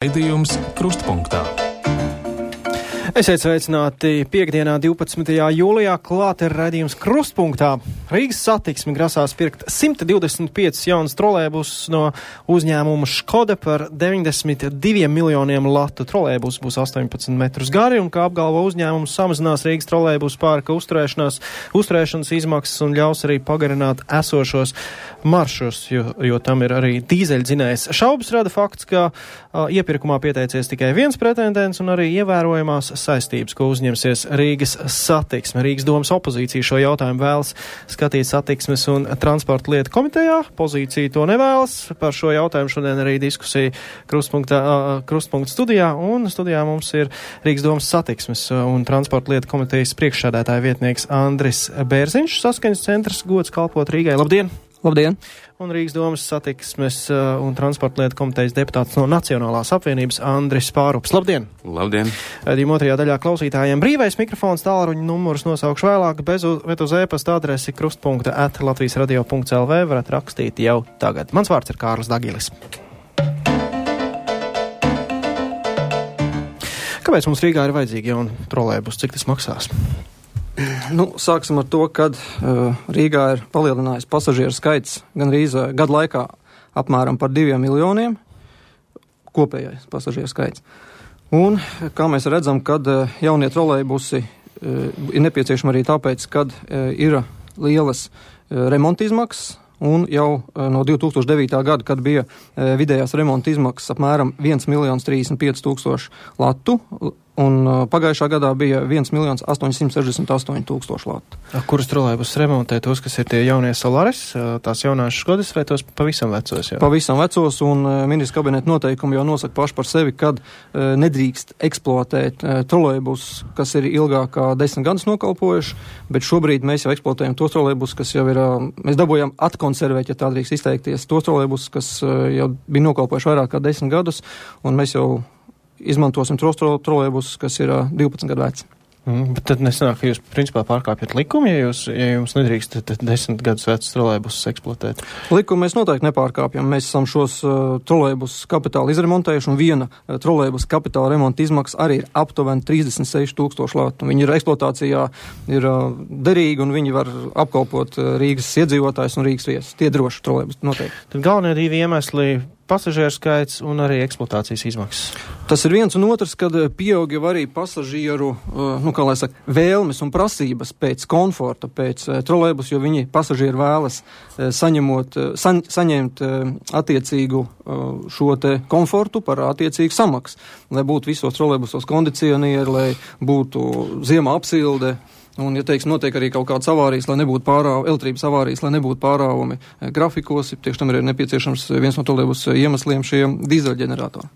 Raidījums Krustpunktā. Esiet sveicināti piekdienā 12. jūlijā, klāt ir raidījums Krustpunktā. Rīgas satiksme grasās pirkt 125 jaunas trolejbusus no uzņēmuma Škoda par 92 miljoniem latu. Trolejbus būs 18 metrus gari un, kā apgalvo uzņēmums, samazinās Rīgas trolejbusu pārka uzturēšanas izmaksas un ļaus arī pagarināt esošos maršus, jo tam ir arī dīzeļdzinējs. Šaubas rada fakts, ka iepirkumā pieteicies tikai viens pretendents un arī ievērojamās saistības, ko uzņemsies Rīgas satiksme. Rīgas domas opozīcija šo jautājumu vēlas skatīt satiksmes un transporta lietu komitejā. Pozīcija to nevēlas. Par šo jautājumu šodien arī diskusija Krustpunkta studijā, un studijā mums ir Rīgas domas satiksmes un transporta lietu komitejas priekšsēdētāja vietnieks Andris Bērziņš, Saskaņas centrs, gods kalpot Rīgai. Labdien! Labdien! Un Rīgas domas satiksmes un transporta lietu komitejas deputāts no Nacionālās apvienības Andris Pārups. Labdien! Labdien! Raidījuma otrajā daļā klausītājiem brīvais mikrofons, tālruņa numurus nosaukšu vēlāk, bet uz e-pasta adresi krustpunkta@latvijasradio.lv varat rakstīt jau tagad. Mans vārds ir Kārlis Dagilis. Kāpēc mums Rīgā ir vajadzīgi jauni trolejbusi? Cik tas maksās? Sāksim ar to, kad Rīgā ir palielinājis pasažieru skaits gandrīz gadu laikā apmēram par 2 miljoniem kopējais pasažieru skaits. Un, kā mēs redzam, kad jaunie trolejbusi ir nepieciešami arī tāpēc, kad ir lielas remonta izmaksas, un jau no 2009. gada, kad bija vidējās remonta izmaksas apmēram 1 35 000 latu, un pagājušā gadā bija 1 868 000 latu. Kurus trolejbusus remontē? Tos, kas ir tie jaunie Solaris, tās jaunās Škodas, vai tos pavisam vecos? Jā? Pavisam vecos, un ministra kabineta noteikumi jau nosaka paši par sevi, kad nedrīkst eksploatēt trolejbusus, kas ir ilgāk kā 10 gadus nokalpojuši, bet šobrīd mēs jau eksploatējam tos trolejbusus, kas jau ir, mēs dabūjām atkonservēt, ja tā drīkst izteikties, tos trolejbusus, kas jau bija nokalpojuši vairāk kā 10 gadus, un mēs jau izmantosim tos trolejbusus, kas ir 12 gadu veci. Bet tad nesanāk, ka jūs principā pārkāpjat likumu, ja jums nedrīkst 10 gadus vecus trolejbusus eksploatēt? Likumu mēs noteikti nepārkāpjam. Mēs esam šos trolejbusus kapitāli izremontējuši, un viena trolejbusa kapitāla remonta izmaksas arī ir aptuveni 36 000 latu. Viņi ir eksploatācijā, ir derīgi, un viņi var apkalpot Rīgas iedzīvotājus un Rīgas viesus. Tie droši trolejbusi noteikti. Tad galvenie divi iemesli - pasažieru skaits un arī eksploatācijas izmaksas. Tas ir viens un otrs, kad pieaug jau arī pasažieru, vēlmes un prasības pēc komforta, pēc trolejbusa, jo viņi pasažieri vēlas saņemt attiecīgu šo te komfortu par attiecīgu samaksu, lai būtu visos trolejbusos kondicionieri, lai būtu ziemā apsilde. Un, ja teiksim, notiek arī kaut kādas avārijas, lai nebūtu elektrības avārijas, lai nebūtu pārāvumi grafikos, tieši tam ir nepieciešams viens no trolejbusa iemesliem šie dīzeļģeneratori.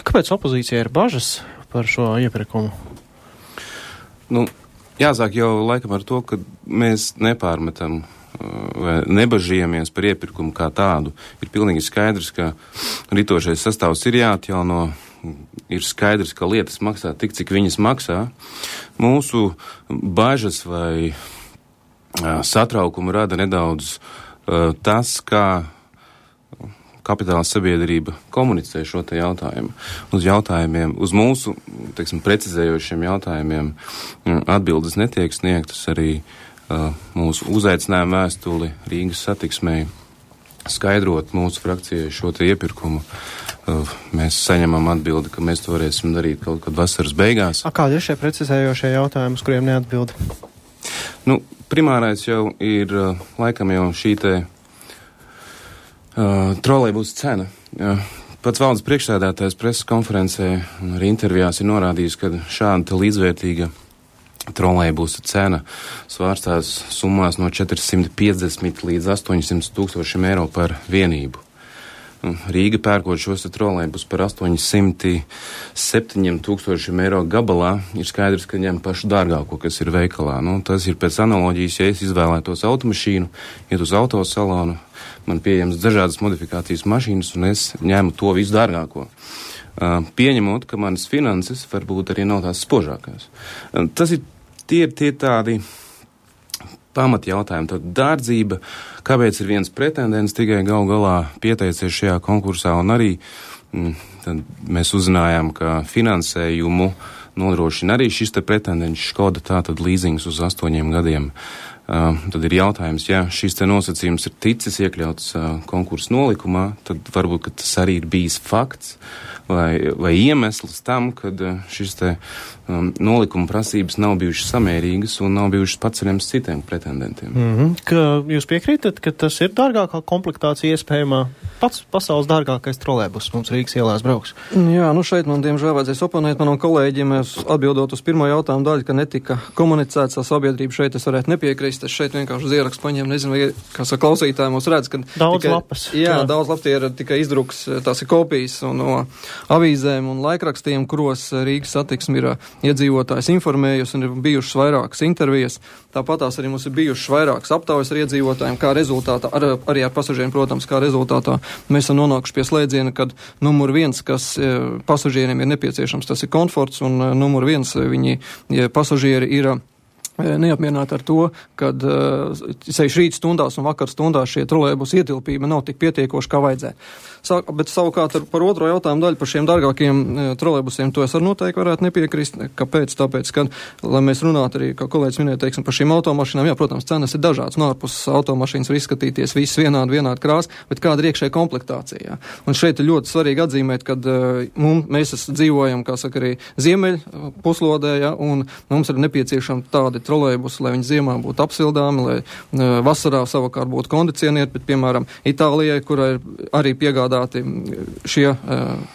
Kāpēc opozīcija ir bažas par šo iepirkumu? Jāsāk jau laikam ar to, ka mēs nepārmetam vai nebažījamies par iepirkumu kā tādu. Ir pilnīgi skaidrs, ka ritošais sastāvs ir jāatjauno. Ir skaidrs, ka lietas maksā tik, cik viņas maksā. Mūsu bažas vai satraukumu rada nedaudz tas, kā kapitāla sabiedrība komunicē šo te jautājumu. Uz mūsu, precizējošiem jautājumiem atbildes netiek sniegtas. Arī mūsu uzaicinājuma vēstuli Rīgas satiksmei skaidrot mūsu frakcijai šo te iepirkumu. Mēs saņemam atbildi, ka mēs to varēsim darīt kaut kad vasaras beigās. Kādi ir šie precizējošie jautājumi, uz kuriem neatbild? Primārais jau ir laikam jau šī te trolejbusa cena. Pats valdes priekšsēdētājs preses konferencē un arī intervijās ir norādījis, ka šāda līdzvērtīga trolejbusa cena svārstās summās no 450 līdz 800 000 eiro par vienību. Rīga pērkot šos trolejbus par 807 000 eiro gabalā, ir skaidrs, ka ņem pašu dārgāko, kas ir veikalā. Tas ir pēc analoģijas, ja es izvēlētos automašīnu, iet uz autosalonu, man pieejams dažādas modifikācijas mašīnas, un es ņemu to visu dārgāko. Pieņemot, ka manas finanses varbūt arī nav tās spožākās. Tie ir tādi pamatjautājumi. Tad dārdzība, kāpēc ir viens pretendents tikai gal galā pieteicies šajā konkursā, un arī tad mēs uzzinājām, ka finansējumu nodrošina arī šis te pretendents Škoda, tātad līzings uz 8 gadiem. Tad ir jautājums, ja šis te nosacījums ir ticis iekļauts konkursa nolikumā, tad varbūt, ka tas arī ir bijis fakts vai iemesls tam, kad šis te nolikuma prasības nav bijušas samērīgas un nav bijušas paceļams citiem pretendentiem. Ka jūs piekrītat, ka tas ir dārgākā komplektācija iespējamā? Pats pasaules dārgākais trolēbus mums Rīgas ielās brauks. Jā, šeit man diemžēl vajadzēs oponēt manam kolēģim, atbildot uz pirmo jautājumu daļu, ka netika komunicēts ar sabiedrību. Šeit es varētu nepiekrist, es šeit vienkārši uz ierakstu paņēmu, nezinu, vai, kā saka, klausītāji mūs redz, ka daudz lapas. Jā, daudz lapas ir tikai izdruks, tās ir kopijas no avīzēm un laikrakstiem, kuros Rīgas satiksme ir iedzīvotājs informējusi un ir bijušas vairākas intervijas. Tāpat tās arī mums ir bijušas vairākas aptaujas ar iedzīvotājiem, kā rezultātā, arī ar pasažieriem, protams, kā rezultātā mēs esam nonākuši pie slēdziena, kad numur 1, kas pasažieriem ir nepieciešams, tas ir komforts, un numur 1 pasažieri ir neapmierināti ar to, kad sevišķi rīt stundās un vakar stundās šie trolēbus ietilpība nav tik pietiekoši, kā vajadzētu. Bet savukārt par otro jautājumu daļu par šiem dārgākiem trolēbusiem, to es arī noteikti varētu nepiekrist. Kāpēc? Tāpēc, ka, lai mēs runātu arī, kā kolēģis minēja, teiksim, par šīm automašīnām, jā, protams, cenas ir dažādas, no ārpus automašīnas var izskatīties viss vienādi krās, bet kāda ir iekšēja komplektācija. Un šeit ir ļoti svarīgi atzīmēt, kad mēs dzīvojam, kā saka, arī ziemeļ puslodē, ja, un mums ir nepieciešami tādi trolēbusi, lai viņi ziemā būtu apsildāmi, lai vasarā savukārt būtu kondicionieri, bet, piemēram, Itālijai, kurai ir arī piegādāti šie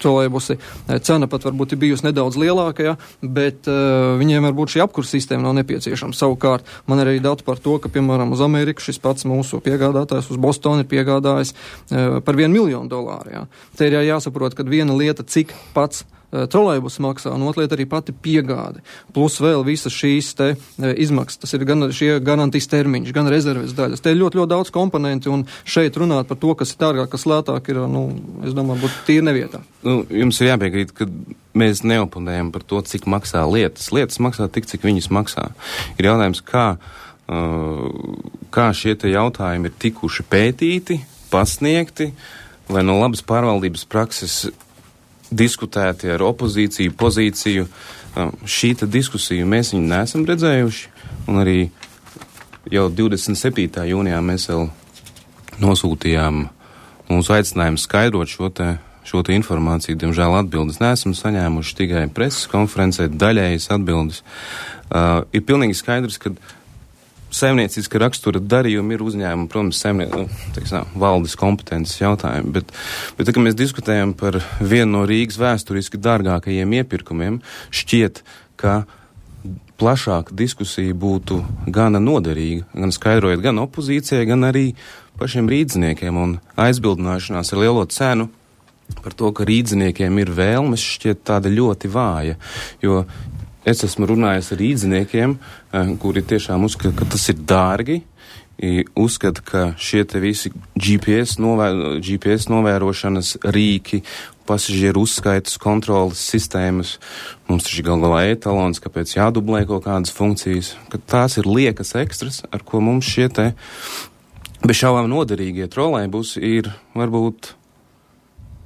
trolēbusi, cena pat varbūt ir bijusi nedaudz lielāka, ja, bet viņiem varbūt šī apkurs sistēma nav nepieciešama. Savukārt, man ir arī dati par to, ka, piemēram, uz Ameriku šis pats mūsu piegādātājs uz Bostonu ir piegādājis par $1 miljonu. Ja. Te ir jāsaprot, ka viena lieta, cik pats trolejbus maksā, un otra lieta arī pati piegāde. Plus vēl visas šīs te izmaksas. Tas ir gan šie garantijas termiņš, gan rezerves daļas. Te ir ļoti daudz komponenti, un šeit runāt par to, kas ir dārgāk, kas lētāk, ir, es domāju, būtu tīri nevietā. Jums ir jāpiekrīt, ka mēs neoponējam par to, cik maksā lietas. Lietas maksā tik, cik viņas maksā. Ir jautājums, kā šie te jautājumi ir tikuši pētīti, pasniegti, vai no labas pārvaldības prakses diskutēti ar opozīciju, pozīciju. Šī diskusija mēs viņu neesam redzējuši, un arī jau 27. jūnijā mēs vēl nosūtījām mūsu aicinājumu skaidrot šo te informāciju. Diemžēl atbildes neesam saņēmuši, tikai preses konferencē daļējas atbildes. Ir pilnīgi skaidrs, ka saimnieciska rakstura darījumi ir uzņēmumi, protams, valdes kompetences jautājumi, bet kad mēs diskutējam par vienu no Rīgas vēsturiski dārgākajiem iepirkumiem, šķiet, ka plašāka diskusija būtu gana noderīga, gan skaidrojot gan opozīcijai, gan arī pašiem rīdzniekiem, un aizbildināšanās ar lielo cenu par to, ka rīdzniekiem ir vēlmes, šķiet tāda ļoti vāja, jo es esmu runājis ar rīdziniekiem, kuri tiešām uzskata, ka tas ir dārgi, uzskata, ka šie te visi GPS novērošanas rīki, pasažieru uzskaitas kontrolas sistēmas, mums taču gal galā etalons, kāpēc jādublē kaut kādas funkcijas, ka tās ir liekas ekstras, ar ko mums šie te bez šaubām noderīgie trolejbusi ir varbūt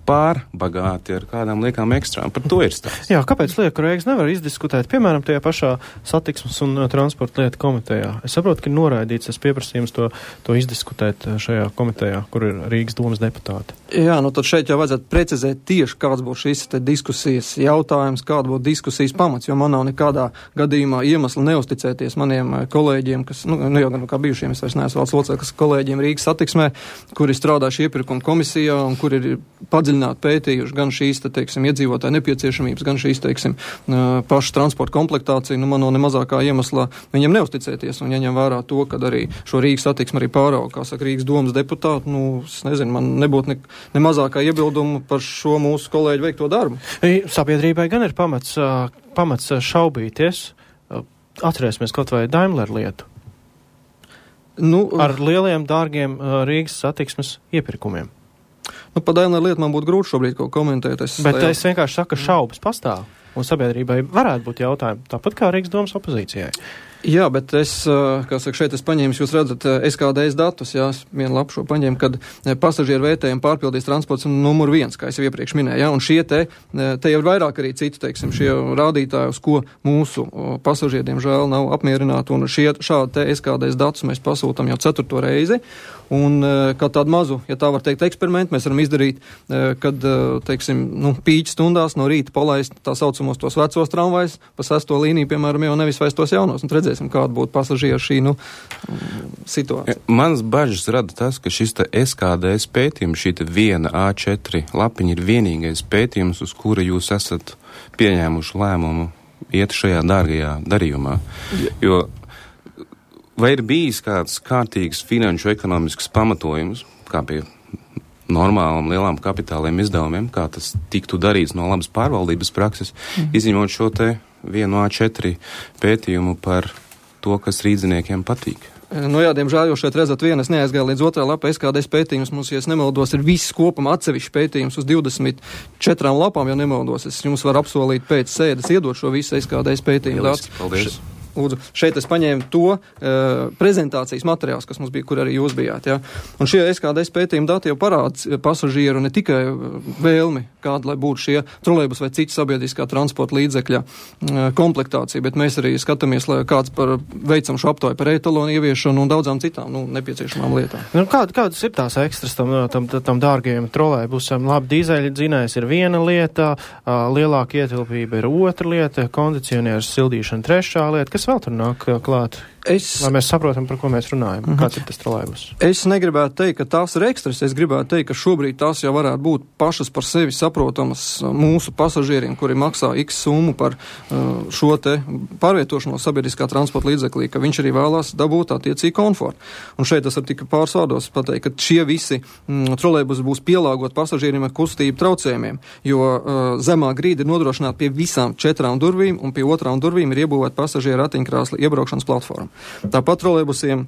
pārbagāti ar kādām liekām ekstrām. Par to ir stāsts. Jā, kāpēc lieku Rīgas nevar izdiskutēt, piemēram, tajā pašā satiksmes un transporta lietu komitejā? Es saprotu, ka ir noraidīts tas pieprasījums to izdiskutēt šajā komitejā, kur ir Rīgas domas deputāti. Jā, tad šeit jau vajadzētu precizēt tieši, kāds būs šis te diskusijas jautājums, kāda būtu diskusijas pamats, jo man nav nekādā gadījumā iemesla neusticēties maniem kolēģiem, kas, jau gan kā bijušiem, es vairs neesmu valsts loceklis kolēģiem Rīgas satiksmē, kuri strādājuši iepirkuma komisijā un kuri ir padziļināti pētījuši gan šīs, iedzīvotāju nepieciešamības, gan šīs, pašu transporta komplektāciju, man nav nemazākā iemesla viņiem neusticēties, un jaņem vērā to, kad arī šo Rīgas satiksmi arī pārauga, kā saka, Rīgas domas deputāti, es nezinu, man nebūtu nemazākā iebildumu par šo mūsu kolēģu veikto darbu. Sabiedrībai gan ir pamats šaubīties. Atcerēsimies kaut vai Daimler lietu. Ar lieliem, dārgiem Rīgas satiksmes iepirkumiem. Par Daimler lietu man būtu grūti šobrīd kaut komentēt. Es vienkārši saku, ka šaubas pastāv, un sabiedrībai varētu būt jautājumi, tāpat kā Rīgas domas opozīcijai. Jā, bet šeit es paņēmu, jūs redzat SKDS datus, vienu lapu šo paņēmu, kad pasažieru vērtējumu pārpildīs transports numur 1, kā es jau iepriekš minēju, un šie te jau ir vairāk arī citu, šie rādītāji, uz ko mūsu pasažieriem žēl nav apmierināti, un šādi te SKDS datus mēs pasūtam jau 4. reizi, un kā tādu mazu, ja tā var teikt, eksperimentu mēs varam izdarīt, kad, pīķi stundās no rīta palaist tā saucamos tos vecos tramvajus, pa 6. līniju, piemēram, jau nevis vairs tos jaunos, un redzēsim, kāda būtu pasažieru šī, situācija. Manas bažas rada tas, ka šis te SKDS pētījums, šī te viena A4 lapiņa ir vienīgais pētījums, uz kura jūs esat pieņēmuši lēmumu iet šajā dārgajā darījumā. Jo vai ir bijis kāds kārtīgs finanšu ekonomisks pamatojums, kā pie normālām lielām kapitāliem izdevumiem, kā tas tiktu darīts no labas pārvaldības prakses, izņemot šo te vienu A4 pētījumu par to, kas rīdziniekiem patīk? Diemžēl, jo šeit redzat vienu, es neaizgāju līdz 2. lapā, SKDS pētījums mums, ja es nemaldos, ir viss kopumā atsevišķi pētījums uz 24 lapām, ja nemaldos. Es jums varu apsolīt pēc sēdes iedot šo visu SKDS pētījumu. Paldies. Lūdzu, šeit es paņēmu to prezentācijas materiāls, kas mums bija, kur arī jūs bijāt. Ja? Un šie SKDS pētījuma dati jau parāda pasažieru ne tikai vēlmi, kāda lai būtu šie trolejbus vai citi sabiedriskā transporta līdzekļa komplektācija, bet mēs arī skatāmies, lai kāds veicam šo aptauju par etalonu ieviešanu un daudzām citām nepieciešamām lietām. Kādas ir tās ekstras tam dārgajiem trolejbusam? Labi, dīzeļa dzinējs ir viena lieta, lielāka ietilpība ir otra lieta, kondicionieris sildīšana trešā lieta. Kas vēl tur nāk klāt? Lai mēs saprotam, par ko mēs runājam. Kāds ir tas trolejbus? Es negribētu teikt, ka tās ir ekstras. Es gribētu teikt, ka šobrīd tās jau varētu būt pašas par sevi saprotamas mūsu pasažieriem, kuri maksā X summu par šo te pārvietošanos sabiedriskā transporta līdzeklī, ka viņš arī vēlās dabūt attiecīgi komfortu. Un šeit es ar tikai pāris vārdos pateikt, ka šie visi trolejbusi būs pielāgot pasažieriem ar kustību traucējumiem, jo zemā grīda ir nodrošināta pie visām 4 durvīm, un pie 2 durvīm ir iebūvēta pasažieru ratiņkrēsla iebraukšanas platforma. Tāpat trolejbusiem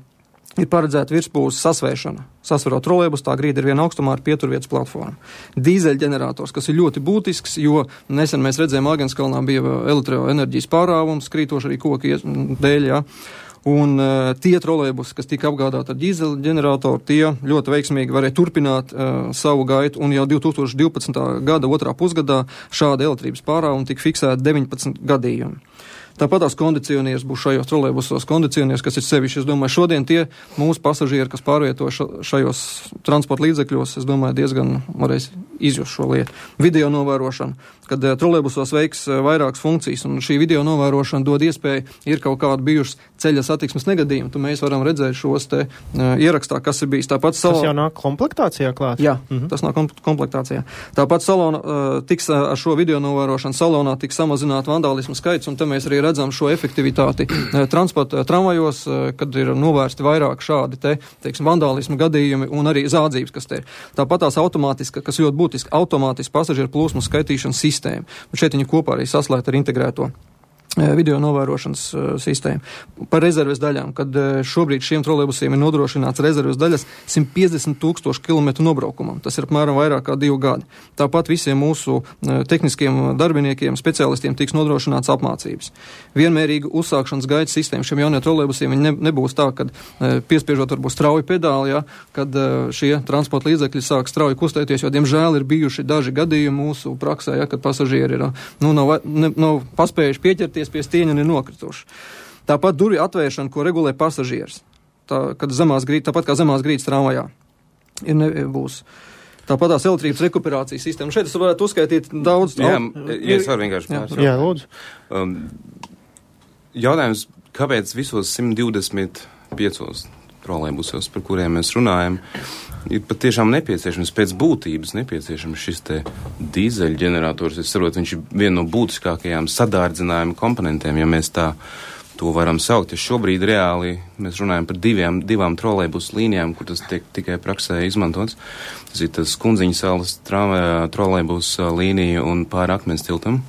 ir paredzēta virspūles sasvēršana. Sasverot trolejbus, tā grīda ir viena augstumā ar pieturvietas platformu. Dīzeļģenerators, kas ir ļoti būtisks, jo nesen mēs redzējām, Āgenskalnā bija elektroenerģijas pārāvums, krītoši arī koki dēļ, jā. Un tie trolejbusi, kas tika apgādāti ar dīzeļģeneratoru, tie ļoti veiksmīgi varēja turpināt savu gaitu, un jau 2012. gada 2. pusgadā šāda elektrības pārāvuma tika fiksēta 19 gadījumi. Tāpat tās kondicionieris būs šajos trolejbusos kondicionieris, kas ir sevišķi. Es domāju, šodien tie mūsu pasažieri, kas pārvieto šajos transporta līdzekļos, es domāju, diezgan varēs izjust šo lietu. Video novērošana, kad trolejbusos veiks vairākas funkcijas, un šī video novērošana dod iespēju, ir kaut kāda bijušas ceļa satiksmes negadījumi, tad mēs varam redzēt šos te ierakstā, kas ir bijis. Tāpat tas jau nāk komplektācijā klāt? Jā, tas nāk komplektācijā. Tāpat tiks ar šo video novērošanu salonā tiks samazināt vandālismu skaits, un te mēs arī redzam šo efektivitāti transporta tramvajos, kad ir novērsti vairāk šādi vandālismu gadījumi un arī zādzības, kas te ir. Tāpat tās automātiska, kas ļoti būtiski, automātiski pasažieru plūsmu skaitīšanas sistēma. Un šeit viņi kopā arī saslēgt ar integrēto video novērošanas sistēmu. Par rezerves daļām, kad šobrīd šiem trolejbusiem ir nodrošināts rezerves daļas 150,000 kilometru nobraukumam. Tas ir apmēram vairāk kā 2 gadi. Tāpat visiem mūsu tehniskiem darbiniekiem, speciālistiem tiks nodrošināts apmācības. Vienmērīga uzsākšanas gaitas sistēma šiem jauniem trolejbusiem nebūs tā, kad piespiežot varbūt strauju pedāli, ja, kad šie transporta līdzekļi sāk strauji kustēties, jo diemžēl ir bijuši daži gadījumi mūsu praksē, ja, kad pasažieri ir nav paspējuši pieķerties pie stieņa un ir nokrituši. Tāpat durvju atvēršana, ko regulē pasažieris, tāpat kā zemās grīdas tramvajā, būs. Tāpat tās elektrības rekuperācijas sistēma. Šeit es varētu uzskaitīt daudz. Jā, es varu vienkārši pārsvarāt. Jā, lūdzu. Jautājums, kāpēc visos 125 trolejbusos, par kuriem mēs runājam, ir patiešām nepieciešams, pēc būtības nepieciešams šis te dīzeļģenerators. Es saprotu, viņš ir viena no būtiskākajām sadārdzinājuma komponentiem, ja mēs to varam saukt. Ja šobrīd reāli mēs runājam par divām trolejbus līnijām, kur tas tiek tikai praksē izmantots. Tas ir tas Kundziņas salas trolejbus līnija un pāri Akmens tiltam.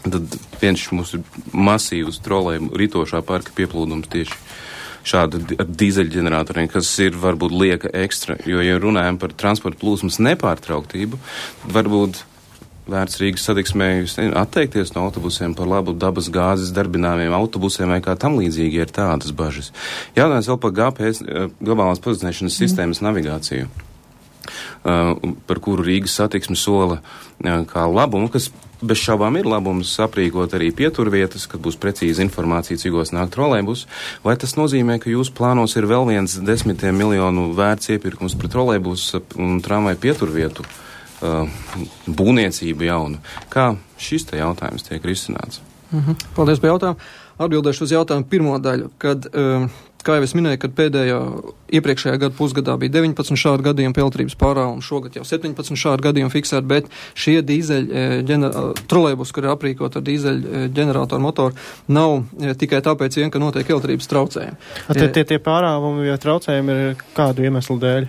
Tad viens mūsu masīvs trolejbu ritošā parka pieplūdums tieši šāda ar dīzeļģeneratoriem, kas ir varbūt lieka ekstra, jo, ja runājam par transporta plūsmas nepārtrauktību, varbūt vērts Rīgas satiksmē atteikties no autobusiem par labu dabas gāzes darbināmiem autobusiem vai kā tam līdzīgi ir tādas bažas. Jautājums vēl par GPS, globālās pozicionēšanas sistēmas navigāciju, par kuru Rīgas satiksme sola kā labumu, kas bez šaubām ir labums aprīkot arī pieturvietas, kad būs precīza informācija, cigos nāk trolejbus, vai tas nozīmē, ka jūsu plānos ir vēl viens 10 miljonu vērts iepirkums pret trolejbus un tramvaju pieturvietu būvniecību jaunu? Kā šis te jautājums tiek risināts? Paldies par jautājumu. Atbildēšu uz jautājumu pirmo daļu, kad, kā jau es minēju, kad iepriekšējā gada pusgadā bija 19 šādu gadījumu peltrības pārāvumu, šogad jau 17 šādu gadījumu fiksēt, bet šie trolejbus, kur ir aprīkot ar dīzeļu ģeneratoru motoru, nav tikai tāpēc vien, ka notiek peltrības traucējumi. Tie pārāvumi vai traucējumi ir kādu iemeslu dēļ?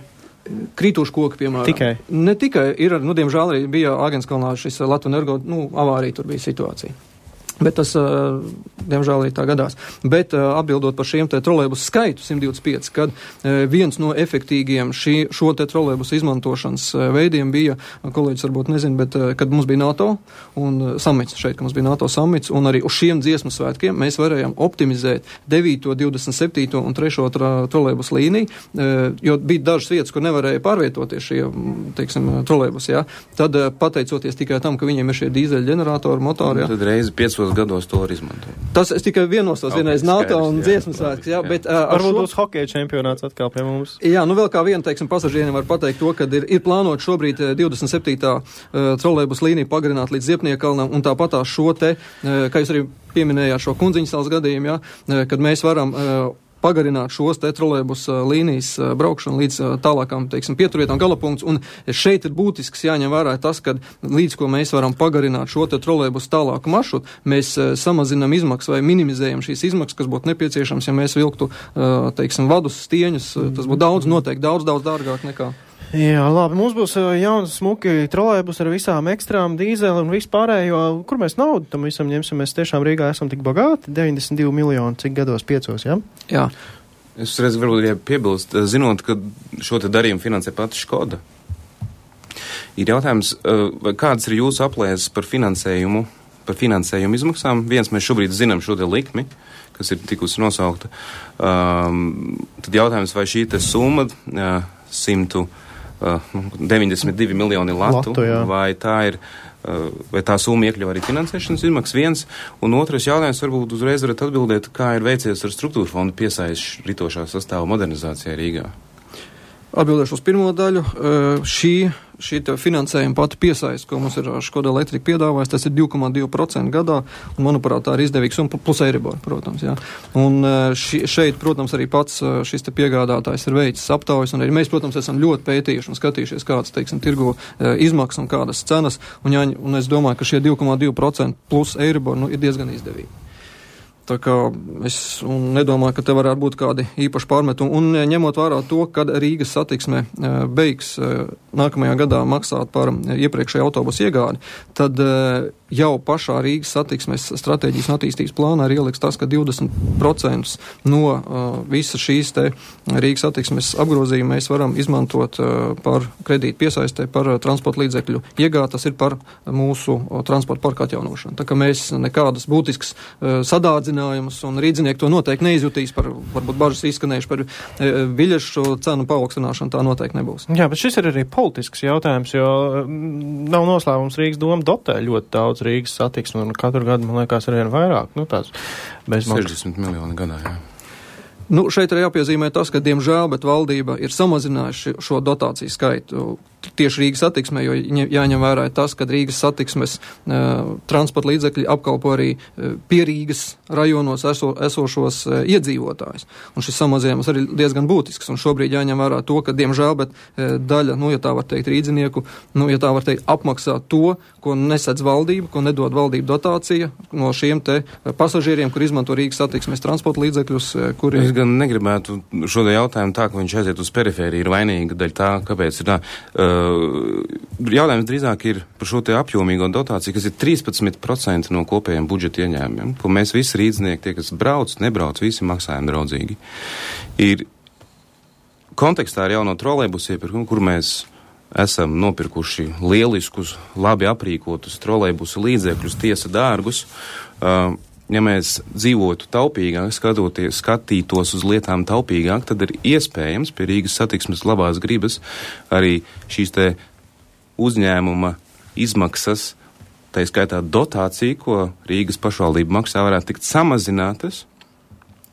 Krītoši koki, piemēram. Tikai? Ne tikai. Ir, diemžēl arī bija Āgenskalnā šis Latvenergo, avārija tur bija situācija. Bet tas, diemžēl, arī tā gadās. Bet atbildot par šiem te trolejbus skaitu 125, kad viens no efektīgiem šo te trolejbus izmantošanas veidiem bija, kolēģis varbūt nezin, bet kad mums bija NATO un samits šeit, kad mums bija NATO samits, un arī uz šiem dziesmu svētkiem mēs varējām optimizēt 9., 27. un 3. trolejbus līniju, jo bija dažas vietas, kur nevarēja pārvietoties šie, teiksim, trolejbus, jā. Tad pateicoties tikai tam, ka viņiem ir šie dīzeļu ģeneratori, motori, jā. Tad reizi 5 gados to var izmantot. Tas es tikai vienos vienreiz NATO un dziesmu svētks, jā, bet varbūt būs hokeja čempionāts atkal pie mums. Jā, vēl kā viena, teiksim, pasažieriem var pateikt to, ka ir plānot šobrīd 27. trolejbus līniju pagarināt līdz Ziepniekalnam, un tāpatās šo te, kā jūs arī pieminējāt šo Kundziņas salas gadījumu, jā, kad mēs varam pagarināt šos te trolejbus līnijas braukšanu līdz tālākām, teiksim, pieturvietām galapunkts, un šeit ir būtisks jāņem vērā tas, ka līdz ko mēs varam pagarināt šo te trolejbus tālāku maršrutu, mēs samazinam izmaksas vai minimizējam šīs izmaksas, kas būtu nepieciešams, ja mēs vilktu, teiksim, vadus, stieņus, tas būtu noteikti daudz dārgāk nekā. Jā, labi, mums būs jauns smuki trolejbus ar visām ekstrām, dīzeli un vispārējo. Kur mēs naudu tam visam ņemsim? Mēs tiešām Rīgā esam tik bagāti, 92 miljoni, cik gados 5, jā? Jā. Es reiz varbūt arī piebilst, zinot, ka šo te darījumu finansē pati Škoda. Ir jautājums, kādas ir jūsu aplēses par finansējumu izmaksām? Viens, mēs šobrīd zinām šo te likmi, kas ir tikusi nosaukta. Tad jautājums, vai šī te summa 192 miljoni latu vai tā summa iekļauj arī finansēšanas izmaksas viens, un otrais jautājums varbūt uzreiz varat atbildēt, kā ir veicies ar struktūra fondu piesaisti ritošā sastāva modernizācijā Rīgā. Atbildēšu uz pirmo daļu. Šī finansējuma pati piesaist, ko mums ir Škoda Elektrika piedāvājis, tas ir 2,2% gadā, un, manuprāt, tā ir izdevīgs, un plus Eiribor, protams, jā. Un šeit, protams, arī pats šis te piegādātājs ir veicis aptaujas, un arī mēs, protams, esam ļoti pētījuši un skatījušies, kādas, teiksim, tirgu izmaksas un kādas cenas, un es domāju, ka šie 2,2% plus Eiribor, ir diezgan izdevīgi. Tā kā es nedomāju, ka te varētu būt kādi īpaši pārmetumi. Un ņemot vērā to, kad Rīgas satiksme beigs nākamajā gadā maksāt par iepriekšēju autobusu iegādi, tad jau pašā Rīgas satiksmes stratēģijas un attīstības plānā ir ieliks tas, ka 20% no visas šīs te Rīgas satiksmes apgrozījuma mēs varam izmantot par kredītu piesaistē, par transporta līdzekļu iegādi. Tas ir par mūsu transporta parka atjaunošanu. Tā kā mēs nekādas būtiskas sadārdzinājumus un rīdzinieki to noteikti neizjutīs par, varbūt bažas izskanējuši par biļešu cenu paaugstināšanu, tā noteikti nebūs. Jā, bet šis ir arī politisks jautājums, jo nav noslēpums Rīgas doma dotē ļoti daudz Rīgas satiksmi, un katru gadu, man liekas, ar vien vairāk. Tāds bezmaksas. 60 miljoni gadā, jā. Šeit ir jāpiezīmē tas, ka, diemžēl, bet valdība ir samazinājuši šo dotāciju skaitu tieši Rīgas satiksmē, jo jāņem vērā tas, ka Rīgas satiksmes transporta līdzekļi apkalpo arī pie Rīgas rajonos esošos iedzīvotājus. Un šis samazinājums arī diezgan būtisks, un šobrīd jāņem vērā to, ka, diemžēl, bet daļa, ja tā var teikt, rīdzinieku, ja tā var teikt, apmaksā to, ko nesedz valdība, ko nedod valdība dotācija no šiem te pasažieriem, kur izmanto Rīgas satiksmes transporta līdzekļus, kuri... Es gan negribētu šo jautājumu tā, ka viņš aiziet uz perifēriju, ir vainīga daļa tā, kāpēc ir tā. Jautājums drīzāk ir par šo te apjomīgo dotāciju, kas ir 13% no kopējiem budžeta ieņēmumiem, ko mēs visi rīdznieki, tie, kas nebrauc, visi maksājam draudzīgi. Ir kontekstā ar jauno trolejbusu iepirkumu, kur mēs esam nopirkuši lieliskus, labi aprīkotus trolejbusu līdzekļus, tiesa dārgus. Ja mēs dzīvotu taupīgāk, skatītos uz lietām taupīgāk, tad ir iespējams pie Rīgas satiksmes labās gribas arī šīs te uzņēmuma izmaksas, tā skaitā dotācija, ko Rīgas pašvaldība maksā, varētu tikt samazinātas,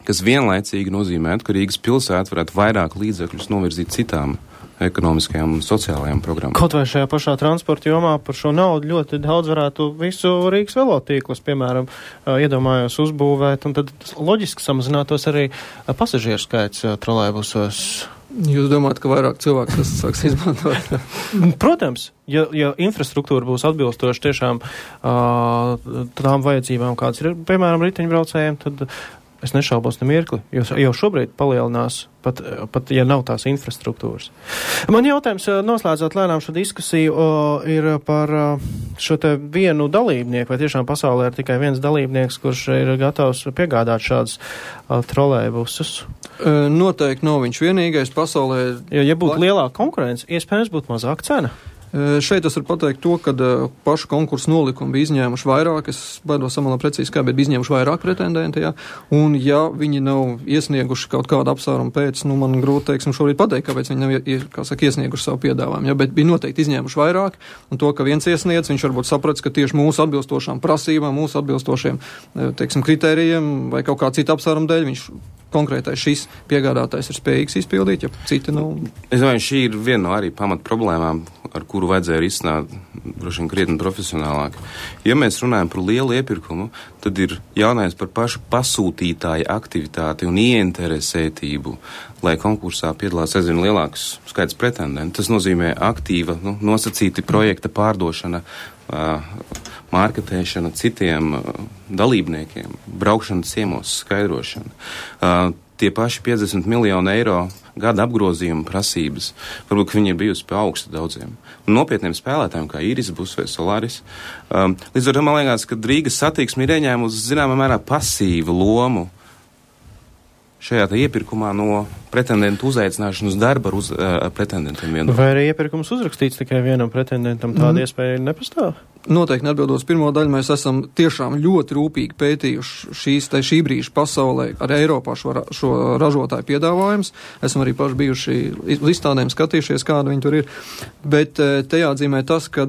kas vienlaicīgi nozīmētu, ka Rīgas pilsēta varētu vairāk līdzekļus novirzīt citām ekonomiskajām un sociālajām programmām. Kaut vai šajā pašā transporta jomā par šo naudu ļoti daudz varētu visu Rīgas velotīklus, piemēram, iedomājos uzbūvēt, un tad loģiski samazinātos arī pasažieru skaits trolejbusos. Jūs domājat, ka vairāk cilvēku tas sāks izmantot? Protams, ja infrastruktūra būs atbilstoša tiešām tām vajadzībām, kādas ir, piemēram, riteņbraucējiem, tad es nešaubos ne mirkli, jo jau šobrīd palielinās, pat ja nav tās infrastruktūras. Man jautājums, noslēdzot lēnām šo diskusiju, ir par šo te vienu dalībnieku, vai tiešām pasaulē ir tikai viens dalībnieks, kurš ir gatavs piegādāt šādus trolejbusus? Noteikti nav viņš vienīgais pasaulē. Ja būtu lielāka konkurence, iespējams būtu mazāka cena. Šeit es varu pateikt to, ka pašu konkursu nolikumu bija izņēmuši vairāk, es baidos samalā precīzi kā, bet bija izņēmuši vairāk pretendenti, jā, un ja viņi nav iesnieguši kaut kādu apsvērumu pēc, man grūti, teiksim, šorīt pateikt, kāpēc viņi nav, iesnieguši savu piedāvājumu, jā, bet bija noteikti izņēmuši vairāk, un to, ka viens iesniedz, viņš varbūt saprats, ka tieši mūsu atbilstošām prasībām, mūsu atbilstošiem, teiksim, kritērijiem vai kaut kā cita apsvērumu dēļ, viņš konkrētais šis piegādātājs ir spējīgs izpildīt, ja citi nav. Es domāju, šī ir viena no arī pamat problēmām, ar kuru vajadzēja risināt droši vien krietni profesionālāk. Ja mēs runājam par lielu iepirkumu, tad ir jautājums par pašu pasūtītāja aktivitāti un ieinteresētību, lai konkursā piedalās aizvien lielāks skaits pretendentu. Tas nozīmē aktīva, nosacīti projekta pārdošana, mārketēšana citiem dalībniekiem, braukšana ciemos, skaidrošana. Tie paši 50 miljoni eiro gada apgrozījuma prasības, varbūt, ka viņi ir bijusi pie augsta daudziem. Un nopietniem spēlētājiem, kā Iris Bus vai Solaris. Līdz ar to man liekas, ka Rīgas satiksme ir ieņēmusi zināmā mērā pasīvu lomu šajā iepirkumā no pretendentu uzaicināšanas darba ar pretendentiem vienam. Vai arī iepirkums uzrakstīts tikai vienam pretendentam, tāda iespēja nepastāv? Noteikti atbildot pirmo daļu, mēs esam tiešām ļoti rūpīgi pētījuši šī brīža pasaulē ar Eiropā šo ražotāju piedāvājums. Esam arī paši bijuši uz izstādēm skatījušies, kāda viņi tur ir. Bet te jāatzīmē tas, ka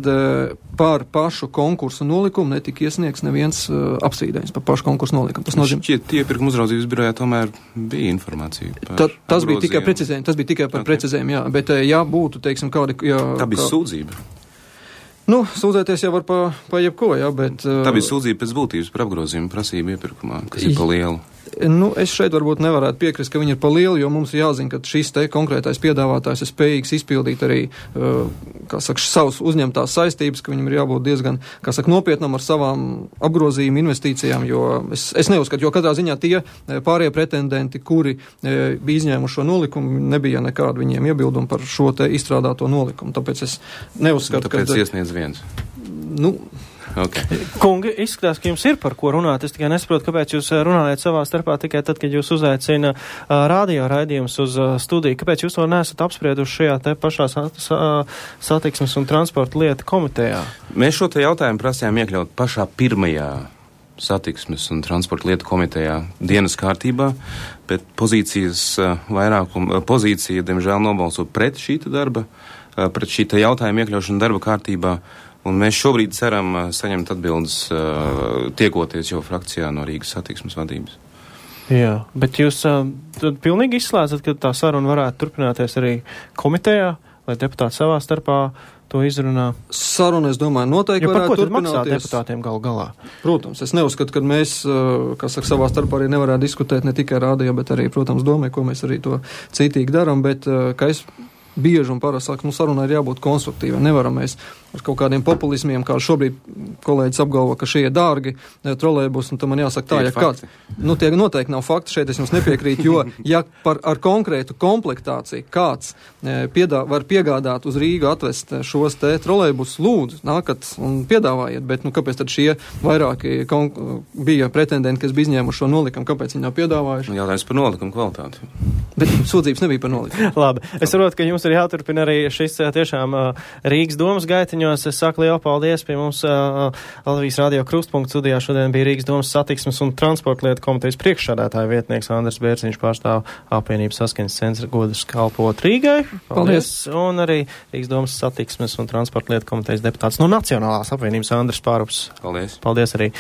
par pašu konkursu nolikumu netika iesniegts neviens apstrīdējums par pašu konkursu nolikumu. Tas nozīmē, šķiet, iepirkuma uzraudzības birojā tomēr bija informācija par tas bija tikai precizējumi. Tas bija tikai par precizējumu, jā. Bet ja būtu, teiksim, kādi... Tā bija sūdzība. Sūdzēties jau var pa jebko, jā, bet... Tā bija sūdzība pēc būtības par apgrozījumu prasību iepirkumā, kas ir pa lielu. Es šeit varbūt nevarētu piekrist, ka viņi ir pa lielu, jo mums ir jāzina, ka šis te konkrētais piedāvātājs ir spējīgs izpildīt arī, savus uzņemtās saistības, ka viņam ir jābūt diezgan, nopietnam ar savām apgrozījuma investīcijām, jo es neuzskatu, jo katrā ziņā tie pārējie pretendenti, kuri bija izņēmuši šo nolikumu, nebija nekādu viņiem iebildumu par šo te izstrādāto nolikumu. Tāpēc es neuzskatu, tāpēc iesniedz viens. Okay. Kungi, izskatās, ka jums ir par ko runāt. Es tikai nesaprotu, kāpēc jūs runājat savā starpā tikai tad, kad jūs uzaicina radio raidījums uz studiju. Kāpēc jūs to neesat apsprieduši šajā te pašā satiksmes un transporta lietu komitejā? Mēs šo te jautājumu prasījām iekļaut pašā pirmajā satiksmes un transporta lietu komitejā dienas kārtībā, bet pozīcija, diemžēl, nobalso pret šī darba, pret šī jautājuma iekļaušanu darba kārtībā. Un mēs šobrīd ceram saņemt atbildes tiekoties jau frakcijā no Rīgas satiksmes vadības. Jā, bet jūs pilnīgi izslēdzat, ka tā saruna varētu turpināties arī komitejā, lai deputāti savā starpā to izrunā? Saruna, es domāju, noteikti varētu turpināties. Maksā deputātiem galā? Protams, es neuzskatu, ka mēs, savā starpā arī nevarētu diskutēt ne tikai radio, bet arī, protams, domē, ko mēs arī to citīgi darām, bet, kā es bieži un parasti saku, sarunai ir jābūt konstruktīvai. Nevaram mēs ar kaut kādiem populismiem, kā šobrīd kolēģis apgalvo, ka šie ir dārgi trolejbusi, un tam man jāsaka tā, ja kāds. Tie noteikti nav fakti, šeit es jums nepiekrītu, jo, ja ar konkrētu komplektāciju kāds var piegādāt uz Rīgu atvest šos te trolejbusus, lūdzu, nākat un piedāvājiet, bet, kāpēc tad šie vairāki bija pretendenti, kas bija izņēmuši šo nolikumu, kāpēc viņi nav piedāvājuši? Jautājums par nolikumu kvalitāti. Bet sūdzības nebija par nolikumu. Labi, es saprotu, ka jums ir jāturpina arī šis tiešām Rīgas domas gaitiņos. Es saku lielu paldies pie mums Latvijas radio Krustpunkta studijā. Šodien bija Rīgas domas satiksmes un transporta lietu komitejas priekšsādātāja vietnieks Andris Bērziņš, pārstāv apvienības saskaņas centra godas kalpot Rīgai. Paldies. Un arī Rīgas domas satiksmes un transporta lietu komitejas deputāts no Nacionālās apvienības Andris Pārups. Paldies. Paldies arī.